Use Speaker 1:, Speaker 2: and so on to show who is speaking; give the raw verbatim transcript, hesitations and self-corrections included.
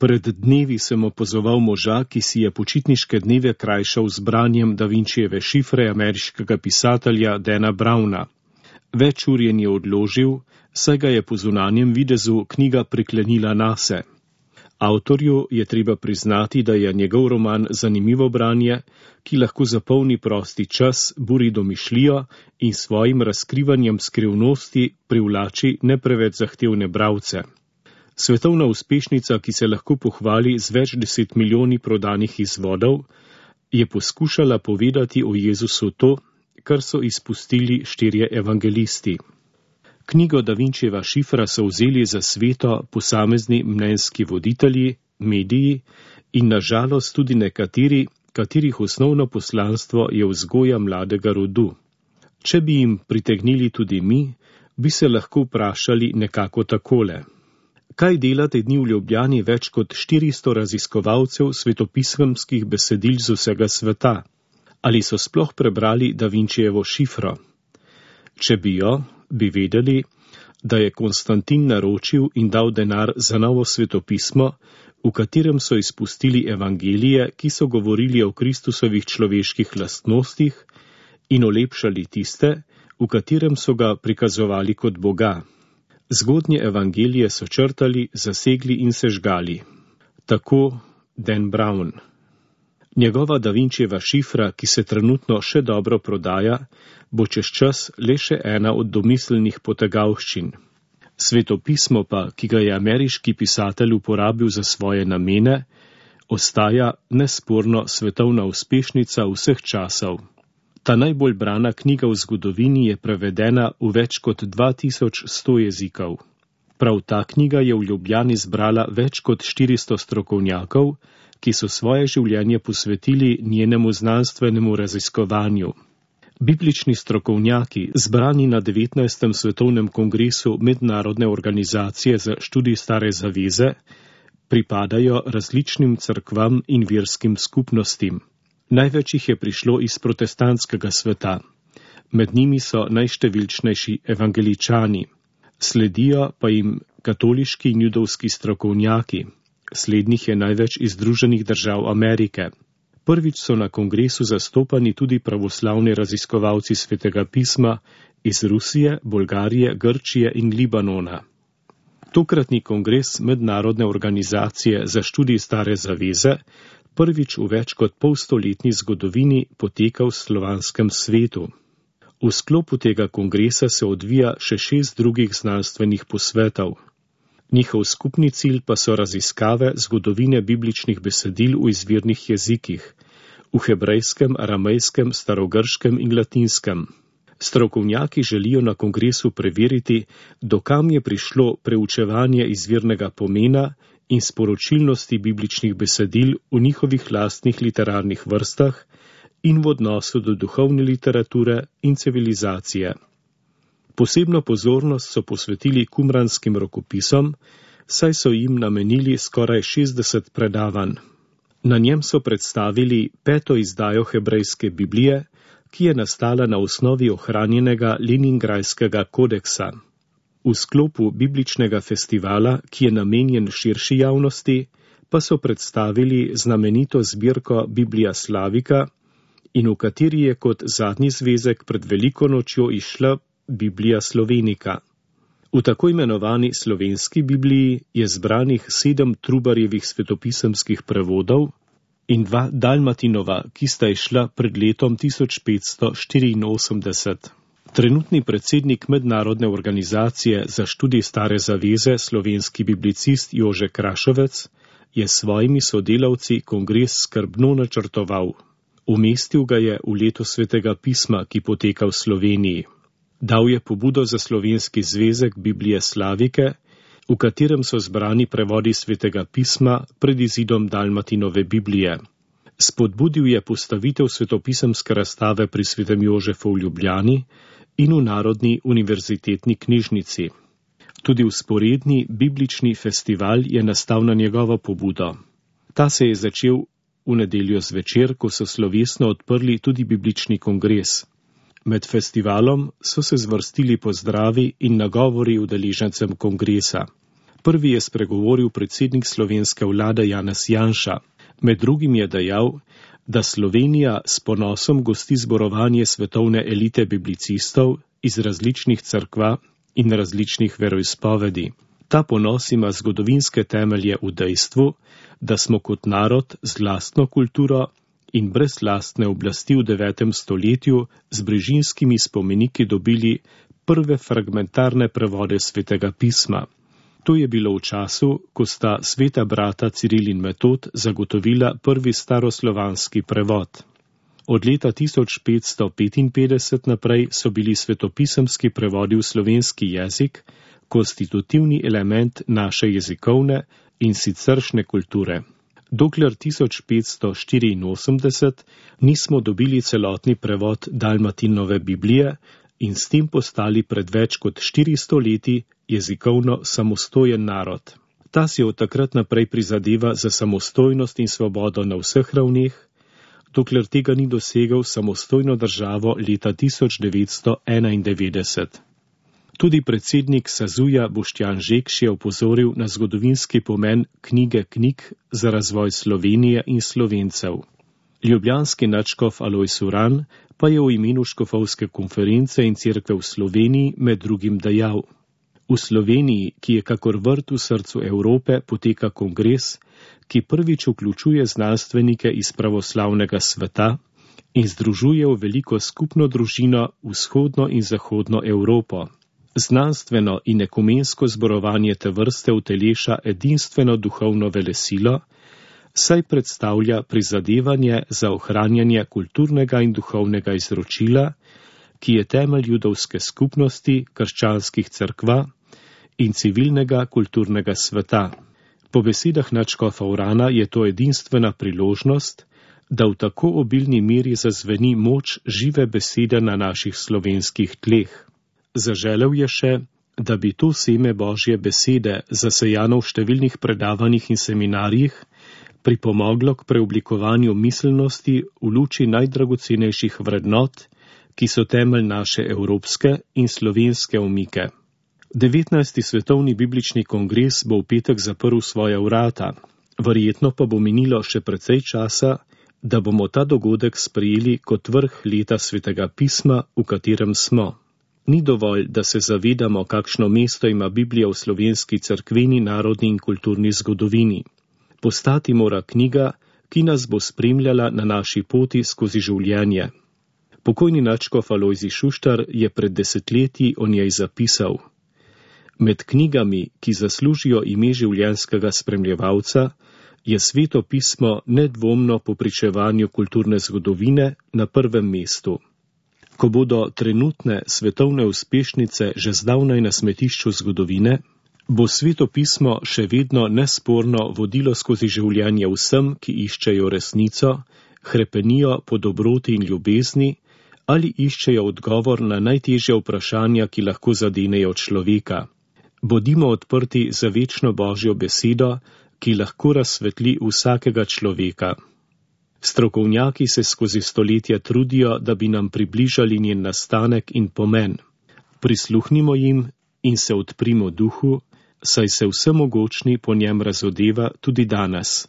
Speaker 1: Pred dnevi sem opozoval moža, ki si je počitniške dneve krajšal z branjem Da Vinčijeve šifre ameriškega pisatelja Dana Browna. Več ur je ni odložil, saj ga je po zunanjem videzu knjiga priklenila nase. Avtorju je treba priznati, da je njegov roman zanimivo branje, ki lahko zapolni prosti čas, buri domišljijo in svojim razkrivanjem skrivnosti privlači ne preveč zahtevne bralce. Svetovna uspešnica, ki se lahko pohvali z več deset milijoni prodanih izvodov, je poskušala povedati o Jezusu to, kar so izpustili štirje evangelisti. Knjigo Da Vinčijeva šifra so vzeli za sveto posamezni mnenjski voditelji, mediji in na žalost tudi nekateri, katerih osnovno poslanstvo je vzgoja mladega rodu. Če bi jim pritegnili tudi mi, bi se lahko vprašali nekako takole. Kaj dela te dni v Ljubljani več kot štiristo raziskovalcev svetopisemskih besedil z vsega sveta? Ali so sploh prebrali Da Vinčijevo šifro? Če bi jo, bi vedeli, da je Konstantin naročil in dal denar za novo svetopismo, v katerem so izpustili evangelije, ki so govorili o Kristusovih človeških lastnostih in olepšali tiste, v katerem so ga prikazovali kot Boga. Zgodnje evangelije so črtali, zasegli in sežgali. Tako Dan Brown. Njegova Da Vinčijeva šifra, ki se trenutno še dobro prodaja, bo čez čas le še ena od domiselnih potegavščin. Svetopismo pa, ki ga je ameriški pisatelj uporabil za svoje namene, ostaja nesporno svetovna uspešnica vseh časov. Ta najbolj brana knjiga v zgodovini je prevedena v več kot dva tisoč sto jezikov. Prav ta knjiga je v Ljubljani zbrala več kot štiristo strokovnjakov, ki so svoje življenje posvetili njenemu znanstvenemu raziskovanju. Biblični strokovnjaki, zbrani na devetnajstem svetovnem kongresu Mednarodne organizacije za študij Stare zaveze, pripadajo različnim cerkvam in verskim skupnostim. Največ jih je prišlo iz protestantskega sveta. Med njimi so najštevilčnejši evangeličani. Sledijo pa jim katoliški in judovski strokovnjaki. Slednjih je največ iz Združenih držav Amerike. Prvič so na kongresu zastopani tudi pravoslavni raziskovalci svetega pisma iz Rusije, Bolgarije, Grčije in Libanona. Tokratni kongres Mednarodne organizacije za študij Stare zaveze prvič v več kot polstoletni zgodovini poteka v slovanskem svetu. V sklopu tega kongresa se odvija še šest drugih znanstvenih posvetov. Njihov skupni cilj pa so raziskave zgodovine bibličnih besedil v izvirnih jezikih, v hebrejskem, aramejskem, starogrškem in latinskem. Strokovnjaki želijo na kongresu preveriti, do kam je prišlo preučevanje izvirnega pomena in sporočilnosti bibličnih besedil v njihovih lastnih literarnih vrstah in v odnosu do duhovne literature in civilizacije. Posebno pozornost so posvetili kumranskim rokopisom, saj so jim namenili skoraj šestdeset predavanj. Na njem so predstavili peto izdajo hebrejske Biblije, ki je nastala na osnovi ohranjenega Leningrajskega kodeksa. V sklopu bibličnega festivala, ki je namenjen širši javnosti, pa so predstavili znamenito zbirko Biblija Slavika in v kateri je kot zadnji zvezek pred veliko nočjo izšla Biblija Slovenika. V tako imenovani slovenski Bibliji je zbranih sedem Trubarjevih svetopisemskih prevodov in dva Dalmatinova, ki sta izšla pred letom tisoč petsto štiriinosemdeset. Trenutni predsednik Mednarodne organizacije za študij Stare zaveze, slovenski biblicist Jože Krašovec, je s svojimi sodelavci kongres skrbno načrtoval. Umestil ga je v leto svetega pisma, ki poteka v Sloveniji. Dal je pobudo za slovenski zvezek Biblije Slavike, v katerem so zbrani prevodi svetega pisma pred izidom Dalmatinove Biblije. Spodbudil je postavitev svetopisemske razstave pri svetem Jožefu v Ljubljani in v Narodni univerzitetni knjižnici. Tudi vzporedni biblični festival je nastal na njegovo pobudo. Ta se je začel v nedeljo zvečer, ko so slovesno odprli tudi biblični kongres. Med festivalom so se zvrstili pozdravi in nagovori udeležencem kongresa. Prvi je spregovoril predsednik slovenske vlade Janez Janša. Med drugim je dejal, da Slovenija s ponosom gosti zborovanje svetovne elite biblicistov iz različnih cerkva in različnih veroizpovedi. Ta ponos ima zgodovinske temelje v dejstvu, da smo kot narod z lastno kulturo in brez lastne oblasti v devetem stoletju z brežinskimi spomeniki dobili prve fragmentarne prevode svetega pisma. To je bilo v času, ko sta sveta brata Ciril in Metod zagotovila prvi staroslovanski prevod. Od leta tisoč petsto petinpetdeset naprej so bili svetopisemski prevodi v slovenski jezik konstitutivni element naše jezikovne in siceršnje kulture. Dokler tisoč petsto štiriinosemdeset nismo dobili celotni prevod Dalmatinove Biblije in s tem postali pred več kot štiristo leti jezikovno samostojen narod. Ta si od takrat naprej prizadeva za samostojnost in svobodo na vseh ravneh, dokler tega ni dosegel samostojno državo leta tisoč devetsto enaindevetdeset. Tudi predsednik Sazuja Boštjan Žekš je opozoril na zgodovinski pomen knjige knjig za razvoj Slovenije in Slovencev. Ljubljanski nadškof Alojz Uran pa je v imenu škofovske konference in cerkve v Sloveniji med drugim dejal: V Sloveniji, ki je kakor vrt v srcu Evrope, poteka kongres, ki prvič vključuje znanstvenike iz pravoslavnega sveta in združuje v veliko skupno družino vzhodno in zahodno Evropo. Znanstveno in ekumensko zborovanje te vrste uteleša edinstveno duhovno velesilo, saj predstavlja prizadevanje za ohranjanje kulturnega in duhovnega izročila, ki je temelj judovske skupnosti, krščanskih cerkva in civilnega kulturnega sveta. Po besedah nadškofa Urana je to edinstvena priložnost, da v tako obilni meri zazveni moč žive besede na naših slovenskih tleh. Zaželel je še, da bi to seme Božje besede, zasejano v številnih predavanjih in seminarjih, pripomoglo k preoblikovanju miselnosti v luči najdragocenejših vrednot, ki so temelj naše evropske in slovenske omike. devetnajsti svetovni biblični kongres bo v petek zaprl svoja vrata, verjetno pa bo minilo še precej časa, da bomo ta dogodek sprejeli kot vrh leta svetega pisma, v katerem smo. Ni dovolj, da se zavedamo, kakšno mesto ima Biblija v slovenski cerkveni, narodni in kulturni zgodovini. Postati mora knjiga, ki nas bo spremljala na naši poti skozi življenje. Pokojni nadškof Alojzij Šuštar je pred desetletji o njej zapisal: Med knjigami, ki zaslužijo ime življenjskega spremljevalca, je sveto pismo nedvomno po pričevanju kulturne zgodovine na prvem mestu. Ko bodo trenutne svetovne uspešnice že zdavnaj na smetišču zgodovine, bo sveto pismo še vedno nesporno vodilo skozi življenje vsem, ki iščejo resnico, hrepenijo po dobroti in ljubezni ali iščejo odgovor na najtežja vprašanja, ki lahko zadenejo človeka. Bodimo odprti za večno Božjo besedo, ki lahko razsvetli vsakega človeka. Strokovnjaki se skozi stoletja trudijo, da bi nam približali njen nastanek in pomen. Prisluhnimo jim in se odprimo duhu, saj se vsemogočni po njem razodeva tudi danes.